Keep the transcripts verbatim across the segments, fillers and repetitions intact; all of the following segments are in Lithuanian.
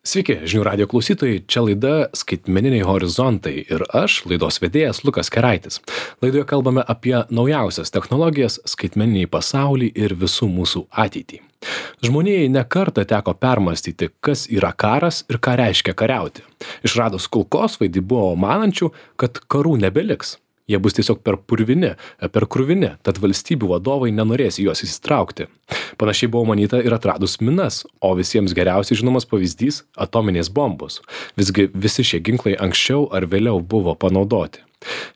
Sveiki, žinių radio klausytojai, čia laida Skaitmeniniai horizontai ir aš, laidos vedėjas Lukas Keraitis. Laidoje kalbame apie naujausias technologijas, skaitmeninį pasaulį ir visų mūsų ateitį. Žmonijai nekartą teko permastyti, kas yra karas ir ką reiškia kariauti. Išradus kulkosvaidį buvo manančių, kad karų nebeliks. Jie bus tiesiog per purvini, per kruvini, tad valstybių vadovai nenorės į juos įsitraukti. Panašiai buvo manyta ir atradus minas, o visiems geriausiai žinomas pavyzdys – atominės bombos. Visgi visi šie ginklai anksčiau ar vėliau buvo panaudoti.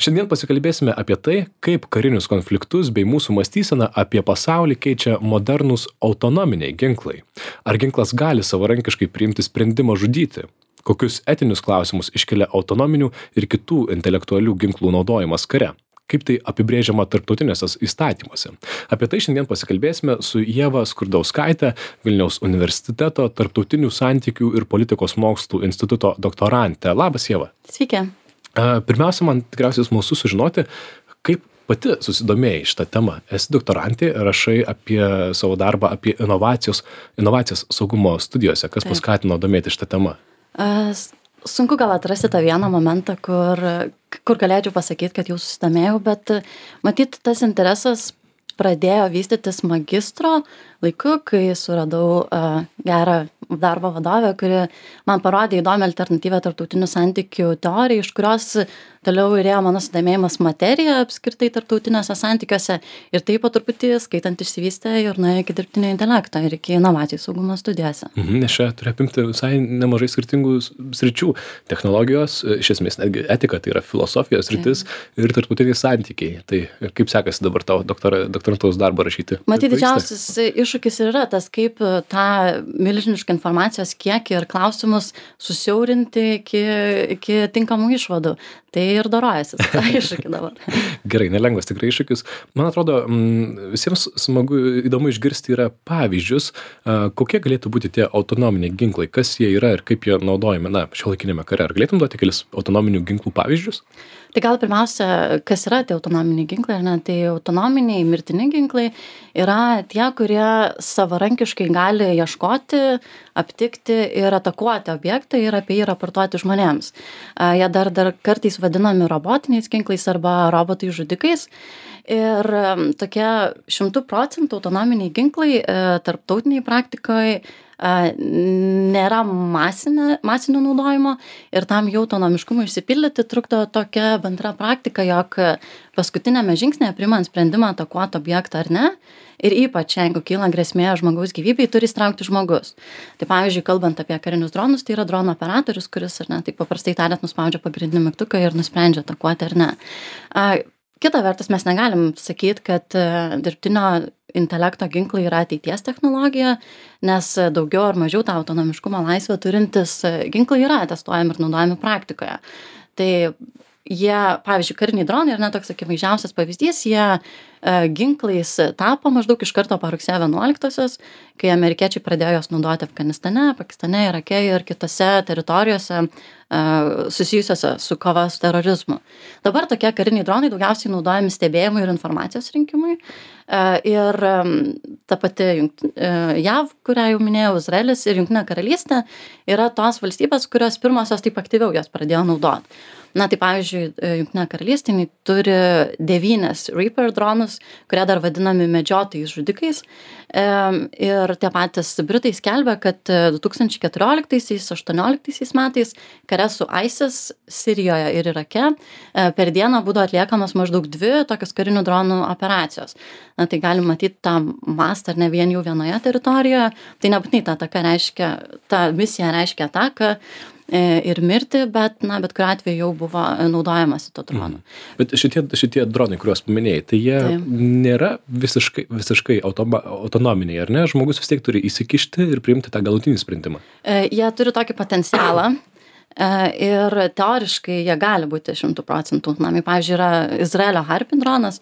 Šiandien pasikalbėsime apie tai, kaip karinius konfliktus bei mūsų mąstyseną apie pasaulį keičia modernūs autonominiai ginklai. Ar ginklas gali savarankiškai priimti sprendimą žudyti? Kokius etinius klausimus iškelia autonominių ir kitų intelektualių ginklų naudojimas kare? Kaip tai apibrėžiama tarptautinėse įstatymuose? Apie tai šiandien pasikalbėsime su Ieva Skurdauskaite, Vilniaus universiteto tarptautinių santykių ir politikos mokslų instituto doktorante. Labas, Ieva. Sveiki. Pirmiausia, man tikriausiai smalsu sužinoti, kaip pati susidomėjai šitą temą. Esi doktorantė, rašai apie savo darbą, apie inovacijos, inovacijas saugumo studijose. Kas Taip. paskatino domėti šitą temą? Sunku gal atrasti tą vieną momentą, kur, kur galėčiau pasakyti, kad jau susidomėjau, bet matyt, tas interesas pradėjo vystytis magistro laiku, kai suradau uh, gerą darbo vadovę, kuri man parodė įdomią alternatyvę tarptautinių santykių teoriją, iš kurios toliau įrėjo mano sudomėjimas materija apskritai tarptautiniuose santykiuose ir taip po truputį skaitant išsivystė ir nuėjo iki dirbtinio intelekto ir iki inovacijų saugumo studijose. Mhm, nes čia turi apimti visai nemažai skirtingų sričių. Technologijos, iš esmės netgi etika, tai yra filosofijos sritis Taip. ir tarptautiniai santykiai. Tai kaip sekasi dabar tavo doktora, doktorantūros darbą rašyti? Matyt, Pavyksta? didžiausias iššūkis ir yra tas, kaip tą milžinišką informacijos kiekį ir klausimus susiaurinti iki, iki tinkamų išvadų. Tai ir dorojasi su tą iššūkį dabar. Gerai, nelengvas tikrai iššūkis. Man atrodo, visiems smagu, įdomu išgirsti yra pavyzdžius, kokie galėtų būti tie autonominiai ginklai, kas jie yra ir kaip jie naudojami, na, šiuolaikinėme kare. Ar galėtum duoti kelis autonominių ginklų pavyzdžius? Tai gal pirmiausia, kas yra tie autonominiai ginklai, ar ne? Tai autonominiai mirtini ginklai yra tie, kurie savarankiškai gali ieškoti, aptikti ir atakuoti objektą ir apie jį raportuoti žmonėms. Jie dar, dar kartais vadinami robotiniais ginklais arba robotai žudikais. Ir tokie šimtų procentų autonominiai ginklai tarptautiniai praktikoje nėra masinė, masinio naudojimo ir tam jau autonomiškumui išsipildyti trukdo tokia bendra praktika, jog paskutinėme žingsnėje priimant sprendimą atakuoti objektą ar ne ir ypač jeigu kyla grėsmė žmogaus gyvybei, turi įstraukti žmogus. Tai pavyzdžiui, kalbant apie karinius dronus, tai yra drono operatorius, kuris ar ne, taip paprastai tariant nuspaudžia pagrindinį mygtuką ir nusprendžia atakuoti ar ne. Kita vertus, mes negalim sakyti, kad dirbtinio intelekto ginklai yra ateities technologija, nes daugiau ar mažiau tą autonomiškumo laisvę turintis ginklai yra testuojami ir naudojami praktikoje. Tai jie, pavyzdžiui, kariniai dronai, ir net toks akivaizdžiausias pavyzdys, jie ginklais tapo maždaug iš karto po rugsėjo vienuoliktosios, kai amerikiečiai pradėjo juos naudoti Afganistane, Pakistane, Irake ir kitose teritorijose susijusiose su kova su terorizmu. Dabar tokie kariniai dronai daugiausiai naudojami stebėjimui ir informacijos rinkimui. Ir ta pati J A V, kurią jau minėjau, Izraelis ir Jungtinė karalystė yra tos valstybės, kurios pirmosios taip aktyviau jas pradėjo naudoti. Na, tai pavyzdžiui, Jungtinė karalystė turi devynis Reaper dronus, kurie dar vadinami medžiotojais žudikais. Ir tie patys Britai skelbia, kad du tūkstančiai keturioliktaisiais aštuonioliktaisiais metais kare su ISIS Sirijoje ir Irake per dieną būdavo atliekamas maždaug dvi tokios karinių dronų operacijos. Na, tai galim matyti tą mastą ar ne vien jau vienoje teritorijoje. Tai nebūtinai ta ataka reiškia, ta misija reiškia ataką ir mirti, bet, na, bet kuriuo atveju jau buvo naudojamasi to dronu. Mm. Bet šitie, šitie dronai, kuriuos paminėjai, tai jie tai. nėra visiškai, visiškai automa, autonominiai, ar ne? Žmogus vis tiek turi įsikišti ir priimti tą galutinį sprendimą. E, jie turi tokį potencialą. Ir teoriškai jie gali būti šimtų procentų autonomiai. Pavyzdžiui, yra Izraelio Harpy dronas,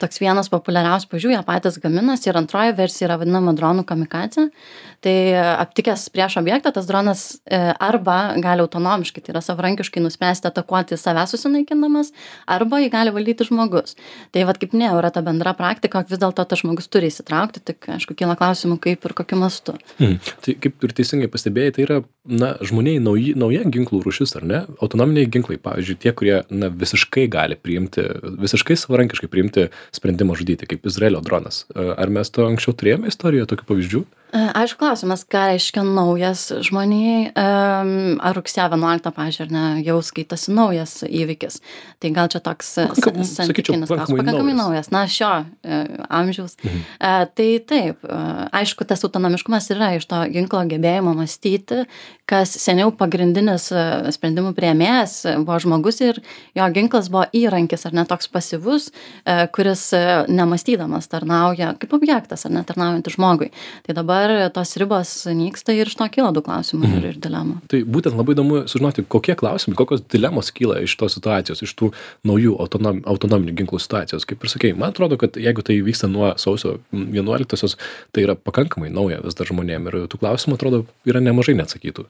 toks vienas populiariausių pavyzdžių, jie patys gaminasi ir antroji versija yra vadinama dronų kamikadzė. Tai aptikęs prieš objektą, tas dronas arba gali autonomiškai, tai yra savarankiškai nuspręsti atakuoti savęs susinaikindamas, arba jį gali valdyti žmogus. Tai vat kaip ne, yra ta bendra praktika, vis dėlto tas žmogus turi įsitraukti, tik aišku, kyla klausimų, kaip ir kokiu mastu. Hmm. Tai kaip ir teisingai pastebėjai, tai yra na, žmoniai nauji, nauja ginklų rūšis, ar ne? Autonominiai ginklai, pavyzdžiui, tie, kurie na, visiškai gali priimti, visiškai savarankiškai priimti sprendimą žudyti, kaip Izraelio dronas. Ar mes to anksčiau turėjome istorijoje tokių pavyzdžių? Aišku, klausimas, ką reiškia naujas žmonijai, ar rugsėjo vienuoliktą, pavyzdžiui, ar ne, jau skaitasi naujas įvykis. Tai gal čia toks santykinis klausimas. Pakankamai naujas, na, šio amžiaus. Mhm. Tai taip, aišku, tas autonomiškumas yra iš to ginklo gebėjimo mąstyti, kas seniau pagrindinis sprendimų priėmėjas buvo žmogus ir jo ginklas buvo įrankis, ar ne toks pasyvus, kuris nemąstydamas tarnauja kaip objektas, ar ne tarnaujantis žmogui. Tai dabar tos ribos nyksta ir iš to kyla daug klausimų mhm. ir, ir dilemų. Tai būtent labai įdomu sužinoti, kokie klausimai, kokios dilemos kyla iš tos situacijos, iš tų naujų autonom, autonominių ginklų situacijos. Kaip ir sakei, man atrodo, kad jeigu tai vyksta nuo sausio vienuoliktosios, tai yra pakankamai nauja vis dar žmonėm ir tų klausimų, atrodo, yra nemažai neatsakytų.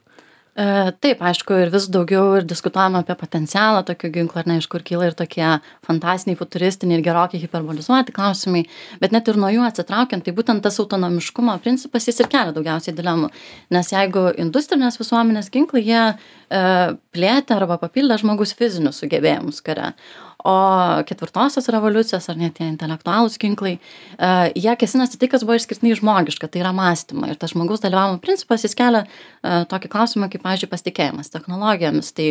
Taip, aišku, ir vis daugiau ir diskutuojama apie potencialą tokio ginklo, ar ne, iš kur kyla ir tokie fantastiniai, futuristiniai ir gerokai hiperbolizuoti klausimai, bet net ir nuo jų atsitraukiant, tai būtent tas autonomiškumo principas jis ir kelia daugiausiai dilemų, nes jeigu industrinės visuomenės ginklai, jie e, plėtė arba papildė žmogus fizinius sugebėjimus kare, o ketvirtosios revoliucijos, ar net tie intelektualūs ginklai, uh, jie kėsinasi tai, kas buvo išskirtinai žmogiška, tai yra mąstymą. Ir tas žmogaus dalyvavimo principas, jis kelia uh, tokį klausimą, kaip, pavyzdžiui, pasitikėjimas technologijomis. Tai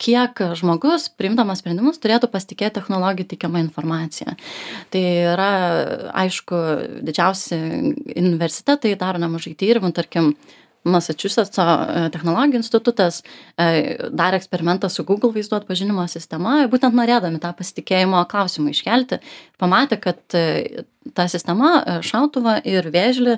kiek žmogus, priimdamas sprendimus, turėtų pasitikėti technologijų teikiamą informaciją. Tai yra, aišku, didžiausi universitetai daro nemažai tyrimų, tarkim, Massachusetts technologijų institutas darė eksperimentą su Google vaizdų atpažinimo sistema, būtent norėdami tą pasitikėjimo klausimą iškelti, pamatė, kad ta sistema šautuvą ir vėžlį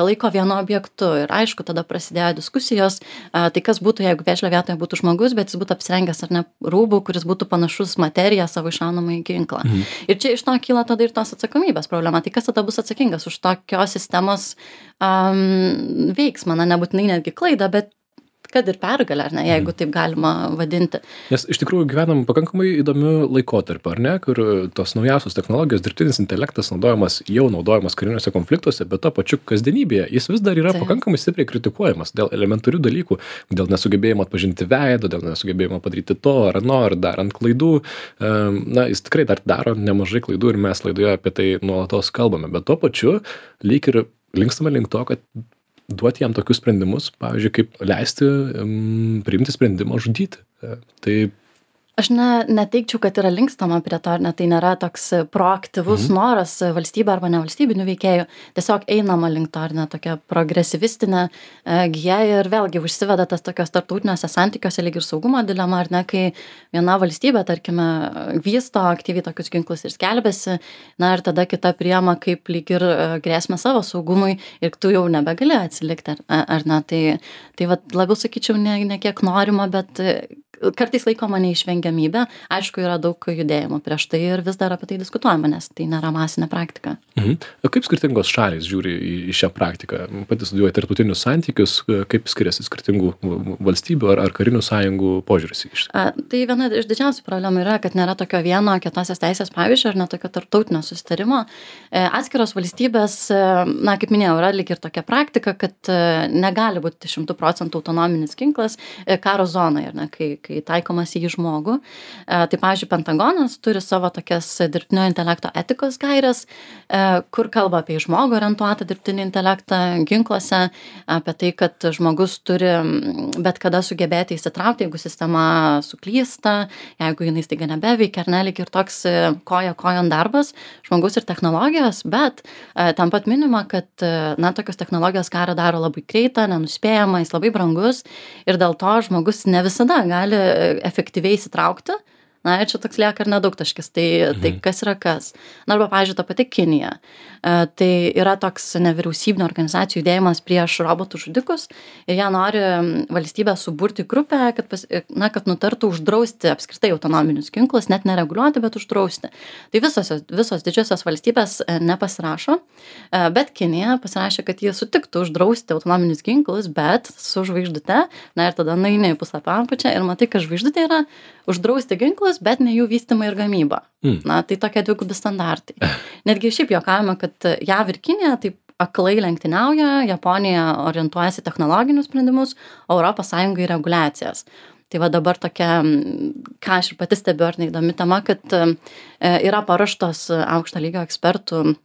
laiko vienu objektu. Ir aišku, tada prasidėjo diskusijos, tai kas būtų, jeigu vėžlio vietoje būtų žmogus, bet jis būtų apsirengęs ar ne rūbų, kuris būtų panašus materiją savo iššaunamąjį ginklą. Mhm. Ir čia iš to kyla tada ir tos atsakomybės problema. Tai kas tada bus atsakingas už tokios sistemos um, veiksmą, na, nebūtinai netgi klaidą, bet kad ir pergalę, ar ne, jeigu taip galima vadinti. Nes iš tikrųjų gyvenam pakankamai įdomiu laikotarpiu, ar ne, kur tos naujausios technologijos, dirbtinis intelektas naudojamas, jau naudojamas kariniuose konfliktuose, bet to pačiu kasdienybėje jis vis dar yra taip. Pakankamai stipriai kritikuojamas dėl elementarių dalykų, dėl nesugebėjimo atpažinti veido, dėl nesugebėjimo padaryti to ar ano, ar darant klaidų. Na, jis tikrai dar daro nemažai klaidų ir mes laidoje apie tai nuolatos kalbame, bet to pačiu lyg ir linkstame link to, kad duoti jam tokius sprendimus, pavyzdžiui, kaip leisti um, priimti sprendimą žudyti. Tai Aš ne, neteikčiau, kad yra linkstama prie to, ne, tai nėra toks proaktyvus mhm. noras valstybė arba nevalstybinių veikėjų, tiesiog einama link to, ne, tokia progresyvistinė e, gija ir vėlgi užsiveda tas tokios tarptautiniuose santykiuose lyg ir saugumo dilema, ar ne, kai viena valstybė, tarkime, vysto aktyviai tokius ginklus ir skelbiasi, na ir tada kita priema kaip lyg ir grėsmę savo saugumui ir tu jau nebegali atsilikti, ar, ar ne, tai, tai vat, labiau sakyčiau ne, ne kiek norima, bet kartais laikoma neišvengiamybė. Aišku, yra daug judėjimų prieš tai ir vis dar apie tai diskutuojama, nes tai nėra masinė praktika. Mhm. Kaip skirtingos šalys žiūri į, į šią praktiką? Pati studijuoja tarptautinius santykius, kaip skiriasi skirtingų valstybių ar, ar karinių sąjungų požiūris į šitą? Tai viena iš didžiausių problemų yra, kad nėra tokio vieno kietosios teisės pavyzdžio ar ne tokio tarptautinio susitarimo. Atskiros valstybės, na, kaip minėjau, yra lyg ir tokia praktika, kad negali būti šimtų procentų autonominis ginklas karo zonoje, ar ne, kai kai taikomas į žmogų. Tai, pavyzdžiui, Pentagonas turi savo tokias dirbtinio intelekto etikos gaires, kur kalba apie žmogų orientuotą dirbtinį intelektą ginkluose, apie tai, kad žmogus turi bet kada sugebėti įsitraukti, jeigu sistema suklysta, jeigu jinai staiga nebeveikia, ar ne, lyg ir toks koja kojon darbas, žmogus ir technologijos, bet tam pat minima, kad, na, tokios technologijos karą daro labai greitą, nenuspėjamą, jis labai brangus ir dėl to žmogus ne visada gali efektyviai įsitraukti, Na, ir čia toks lieka ir nedaugtaškis. Tai, mhm. tai kas yra kas? Na, arba, pavyzdžiui, ta pati Kinija. E, tai yra toks nevyriausybinio organizacijų judėjimas prieš robotų žudikus ir jie nori valstybę suburti grupę, kad, pas, na, kad nutartų uždrausti apskritai autonominius ginklus, net nereguliuoti, bet uždrausti. Tai visos, visos didžiosios valstybės nepasirašo, e, bet Kinija pasirašė, kad jie sutiktų uždrausti autonominius ginklus, bet su žvaigždute. Na ir tada nueini į puslapio apačią ir matai, kad žvaigždutė yra uždrausti ginklus, bet ne jų vystymą ir gamybą. Mm. Na, tai tokie dvigubi standartai. Netgi šiaip juokavome, kad J A V ir Kinija taip aklai lenktyniauja, Japonija orientuojasi technologinius sprendimus, o Europos Sąjunga į reguliacijas. Tai va dabar tokia, ką aš ir pati stebiu, ar neįdomi tema, kad yra paruoštos aukšto lygio ekspertų,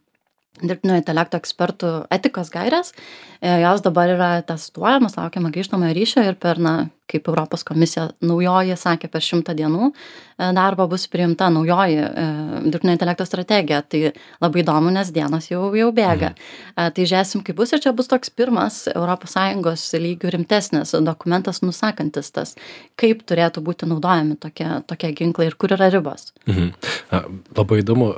dirbtinio intelekto ekspertų etikos gairės, jos dabar yra testuojamos, laukiama grįžtamojo ryšio ir per, na, kaip Europos komisija naujoji sakė, per šimtą dienų darbo bus priimta naujoji dirbtinio intelekto strategija. Tai labai įdomu, nes dienos jau, jau bėga. Mhm. Tai žiūrėsim, kaip bus ir čia bus toks pirmas Europos Sąjungos lygių rimtesnis dokumentas nusakantis tas, kaip turėtų būti naudojami tokie, tokie ginklai ir kur yra ribos. Mhm. Labai įdomu.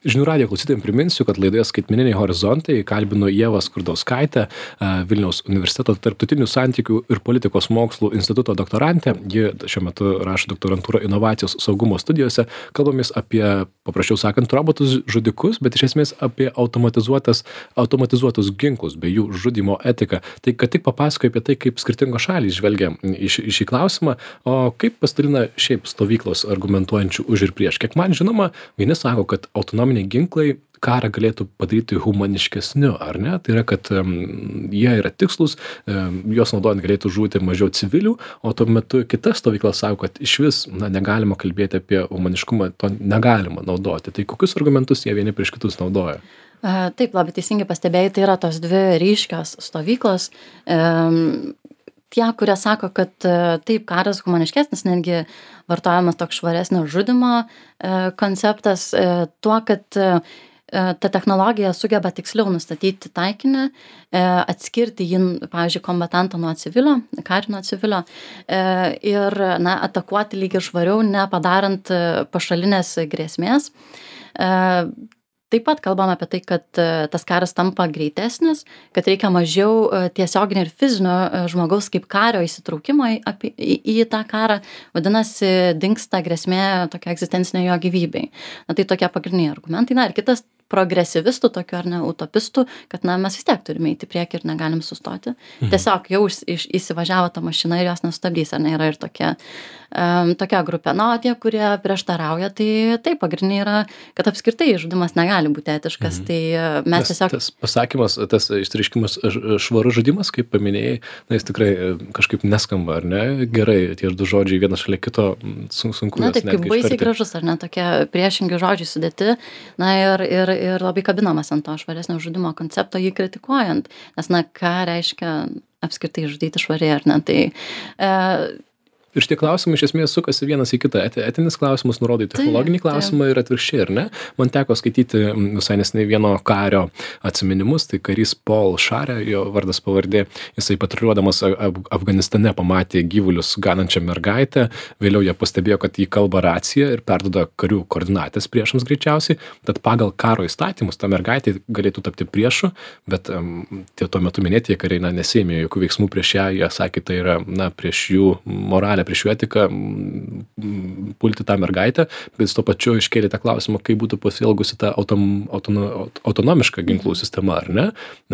Žinių radijo klausytojams priminsiu, kad laidoje Skaitmeniniai horizontai kalbinu Ievą Skurdauskaitę, Vilniaus universiteto tarptautinių santykių ir politikos mokslų instituto doktorantė. Ji šiuo metu rašo doktorantūrą inovacijos saugumo studijose. Kalbamės apie, paprasčiau sakant, robotus žudikus, bet iš esmės apie automatizuotas, automatizuotus ginklus bei jų žudimo etiką. Tai kad tik papasakoju apie tai, kaip skirtingos šalys žvelgia į šį klausimą, o kaip pasidalina šiaip stovyklos argumentuojančių už ir prieš. Kiek man žinoma, vieni sako, kad autonominiai ginklai karą galėtų padaryti humaniškesniu, ar ne? Tai yra, kad um, jie yra tikslus, um, juos naudojant galėtų žūti mažiau civilių, o tuo metu kita stovykla sako, kad iš vis na, negalima kalbėti apie humaniškumą, to negalima naudoti. Tai kokius argumentus jie vieni prieš kitus naudoja? Taip, labai teisingai pastebėjai, tai yra tos dvi ryškios stovyklos. Um, tie, kurie sako, kad taip, karas humaniškesnis, netgi vartojamas toks švaresnio žudimo konceptas, tuo, kad ta technologija sugeba tiksliau nustatyti taikinį, atskirti jį, pavyzdžiui, kombatantą nuo civilio, karį nuo civilio ir na, atakuoti lyg ir švariau, nepadarant pašalinės grėsmės. Taip pat kalbam apie tai, kad tas karas tampa greitesnis, kad reikia mažiau tiesioginio ir fizinio žmogaus kaip kario įsitraukimo į, į, į tą karą, vadinasi, dingsta grėsmė tokia egzistencinė jo gyvybei. Na tai tokie pagrindiniai argumentai. Na ir kitas progresyvistų, tokių ar ne utopistų, kad na, mes vis tiek turime eiti priekį ir negalim sustoti. Mhm. Tiesiog jau iš, iš, įsivažiavo ta mašina ir jos nesustabdys, ar ne, yra ir tokia, um, tokia grupė. Na, o tie, kurie prieštarauja, tai taip, pagrindiniai yra, kad apskritai žudimas negali būti etiškas. Mhm. Tai mes tas, tiesiog... Tas pasakymas, tas išreiškimas švarus žudimas, kaip paminėjai, na, jis tikrai kažkaip neskamba, ar ne? Gerai, tie du žodžiai vienas šalia kito sunku. Na, taip, kaip baisiai gražus, ar ne, tokie priešingi žodžiai sudėti. Na, ir, ir ir labai kabinamas ant to švaresnio žudimo koncepto, jį kritikuojant. Nes, na, ką reiškia apskritai žudyti švariai, ar ne? Tai... E, Ir šitie klausimai iš esmės sukasi vienas į kitą. Etinis klausimas nurodo į technologinį klausimą ir atvirkščiai, ar ne? Man teko skaityti visai neseniai vieno kario atsiminimus, tai karys Paul Sharė, jo vardas pavardė, jisai patruliuodamas Afganistane pamatė gyvulius ganančią mergaitę, vėliau jie pastebėjo, kad jį kalba racija ir perduoda karių koordinatės priešams greičiausiai, tad pagal karo įstatymus ta mergaitė galėtų tapti priešu, bet um, tie tuo metu minėtie kariai na, nesėmė jokių veiksmų prieš ją, jie sakė, tai yra na, prieš jų moralę, prieš jų etiką pulti tą mergaitę, bet tuo pačiu iškėlė tą klausimą, kaip būtų pasielgusi ta autom, autono, autonomiška ginklų sistema, ar ne?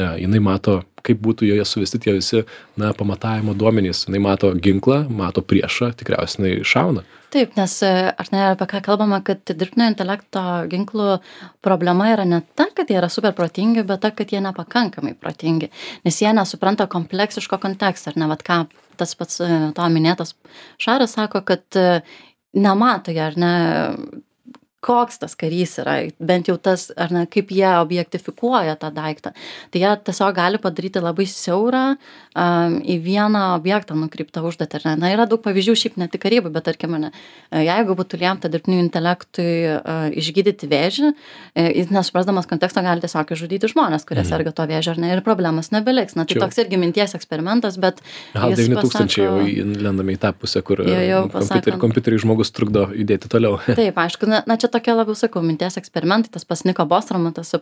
Ne, jinai mato, kaip būtų joje suvesti tie visi na, pamatavimo duomenys. Jinai mato ginklą, mato priešą, tikriausiai jinai šauna. Taip, nes ar ne, apie ką kalbama, kad dirbtinio intelekto ginklų problema yra ne ta, kad jie yra super protingi, bet ta, kad jie nepakankamai protingi, nes jie nesupranta kompleksiško konteksto, ar ne, vat ką tas pats to minėtas Šaras sako, kad nemato jie, ar ne, koks tas karys yra, bent jau tas, ar ne, kaip jie objektifikuoja tą daiktą. Tai jie tiesiog gali padaryti labai siaurą um, į vieną objektą nukreiptą užduotį. Ar ne? Na, yra daug pavyzdžių, šiaip ne tik karybai, bet tarkim, ne, jeigu būtų liemta dirbtiniui intelektui uh, išgydyti vėžį, uh, jis nesuprasdamas konteksto gali tiesiog išžudyti žmonės, kurie mhm. serga to vėžio, ar ne, ir problemas nebeliks. Na, tai Čia. Toks irgi minties eksperimentas, bet Gal devyni tūkstančiai jau lendame į tą pusę, kur jau, jau, kompiuterį, kompiuterį žmogus trukdo judėti toliau. Taip, aišku, na, na čia tokia labiau, sakau, minties eksperimentai, tas pas Niko Bostromo, tas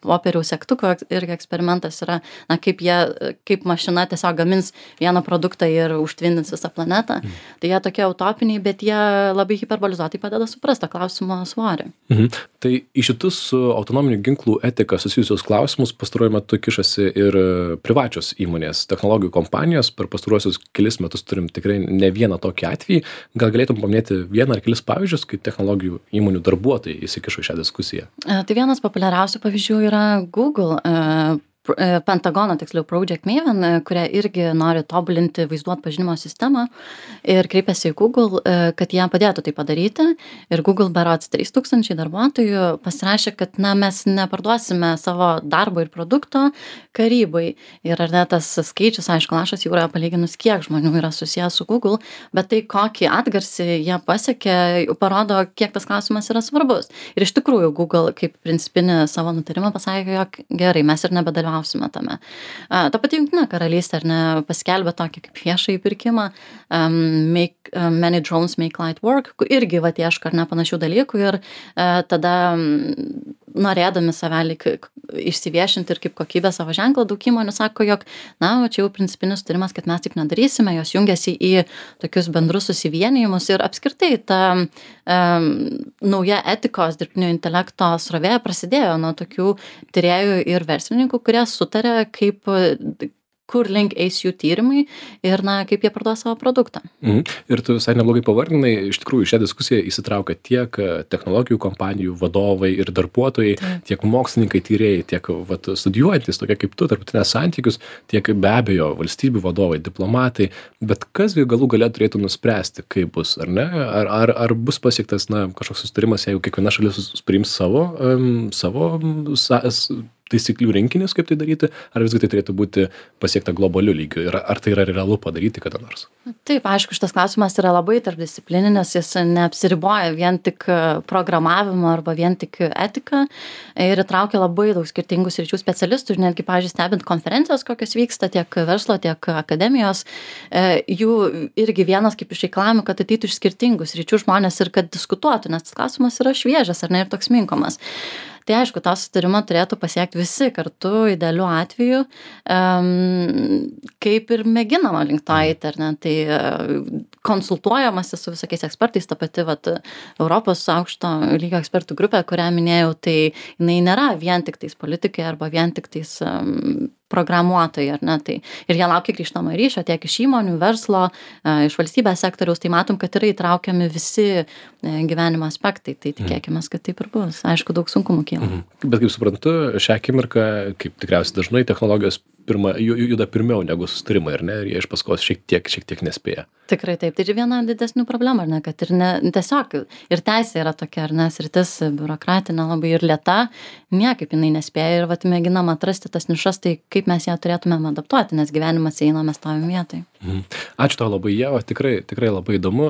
popieriaus segtuko irgi eksperimentas yra, na, kaip jie, kaip mašina tiesiog gamins vieną produktą ir užtvindins visą planetą. Mm. Tai jie tokie utopiniai, bet jie labai hiperbolizuotai padeda suprasti klausimo svorį. Mhm. Tai į šitus su autonominių ginklų etika susijusius klausimus pastaruoju metu kišasi ir privačios įmonės, technologijų kompanijos. Per pastaruosius kelis metus turim tikrai ne vieną tokį atvejį. Gal galėtum paminėti vieną ar kelis pavyzdžius, kaip technologijų įmonių darbuotojai įsikišo į šią diskusiją? Tai vienas populiariausių pavyzdžių yra Google, Pentagono, tiksliau Project Maven, kurie irgi nori tobulinti vaizdų atpažinimo sistemą ir kreipiasi į Google, kad jie padėtų tai padaryti. Ir Google berods trys tūkstančiai darbuotojų pasirašė, kad na, mes neparduosime savo darbo ir produkto karybai. Ir ar ne tas skaičius, aišku, lašas jūroje palyginus, kiek žmonių yra susijęs su Google, bet tai kokį atgarsį jie pasiekė, parodo, kiek tas klausimas yra svarbus. Ir iš tikrųjų Google kaip principinį savo nutarimą pasakė, jog gerai, mes ir nebedalyvausime tame. A, ta pati Jungtinė karalystė, ar ne, paskelbė tokį kaip viešąjį pirkimą um, make, um, Many Drones Make Light Work, kur irgi vat ieško, ar ne, panašių dalykų ir uh, tada um, norėdami save išsiviešinti ir kaip kokybę savo ženklą, daug įmonių sako, jog, na, čia jau principinis turimas, kad mes taip nedarysime, jos jungiasi į tokius bendrus susivienijimus ir apskritai ta um, nauja etikos dirbtinio intelekto srovė prasidėjo nuo tokių tyrėjų ir verslininkų, kurie sutarė, kaip kur link eis jų tyrimai ir, na, kaip jie parduos savo produktą. Mhm. Ir tu visai neblogai pavardinai, iš tikrųjų šią diskusiją įsitraukia tiek technologijų kompanijų vadovai ir darbuotojai, Taip. tiek mokslininkai, tyrėjai, tiek vat, studijuojantis, tokie kaip tu, tarptautinės santykius, tiek be abejo valstybių vadovai, diplomatai, bet kas galų gale turėtų nuspręsti, kaip bus, ar ne? Ar, ar, ar bus pasiektas, na, kažkoks sustarimas, jeigu kiekviena šalis priims savo, um, savo sa, taisyklių rinkinis, kaip tai daryti, ar visgi tai turėtų būti pasiekta globaliu lygiu ir ar tai yra realu padaryti kada nors? Taip, aišku, šitas klausimas yra labai tarpdisciplininis, jis neapsiriboja vien tik programavimu arba vien tik etika ir įtraukia labai daug skirtingų sričių specialistų ir netgi, pavyzdžiui, stebint konferencijos, kokios vyksta tiek verslo, tiek akademijos, jų irgi vienas kaip iš reikalavimų, kad ateitų iš skirtingų sričių žmonės ir kad diskutuotų, nes tas klausimas yra šviežias ar ne ir toks minkomas. Tai aišku, tą sutarimą turėtų pasiekti visi kartu, idealiu atveju, um, kaip ir mėginama link to eiti, ar ne? Tai konsultuojamasi su visokiais ekspertais, ta pati vat, Europos aukšto lygio ekspertų grupė, kurią minėjau, tai jinai nėra vien tik tais politikai arba vien tik tais um, programuotojai, ar ne? Tai ir jie laukia grįžtamo ryšio tiek iš įmonių, verslo, iš valstybės sektoriaus, tai matom, kad yra įtraukiami visi gyvenimo aspektai, tai tikėkime, kad taip ir bus. Aišku, daug sunkumų kyla. Mhm. Bet kaip suprantu, šią akimirką, kaip tikriausiai dažnai, technologijos pirma, juda pirmiau negu sustarimai, ar ne? Ir jie iš paskos šiek tiek, šiek tiek nespėja. Tikrai taip. Tai ir viena didesnių problemų, ar ne? Kad ir ne, tiesiog ir teisė yra tokia, ar ne? Sritis biurokratinė labai ir lėta, niekaip jinai nespėja ir vat mėginam atrasti tas nišas, tai kaip mes ją turėtumėm adaptuoti, nes gyvenimas eina, mes stovim vietoj. Mhm. Ačiū tau labai, Ieva, tikrai, tikrai labai įdomu.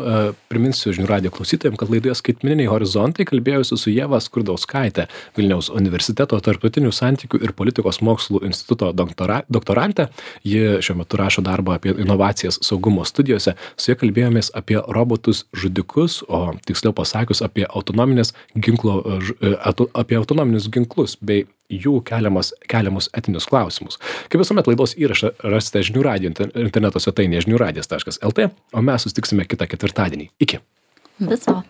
Priminsiu žinių radijo klausytojams, kad laidoje Skaitmeniniai horizontai kalbėjausi su Ieva Skurdauskaite, Vilniaus universiteto tarptautinių santykių ir politikos mokslų instituto doktora, doktorantė. Ji šiuo metu rašo darbą apie inovacijas saugumo studijose. Su ja kalbėjomės apie robotus žudikus, o tiksliau pasakius apie autonominės ginklo, apie autonominius ginklus bei jų keliamas, keliamus etinius klausimus. Kaip visuomet laidos įrašą rasite žinių radijo interneto svetainėje žinių radijas taškas lt, o mes susitiksime kitą ketvirtadienį. Iki. Viso.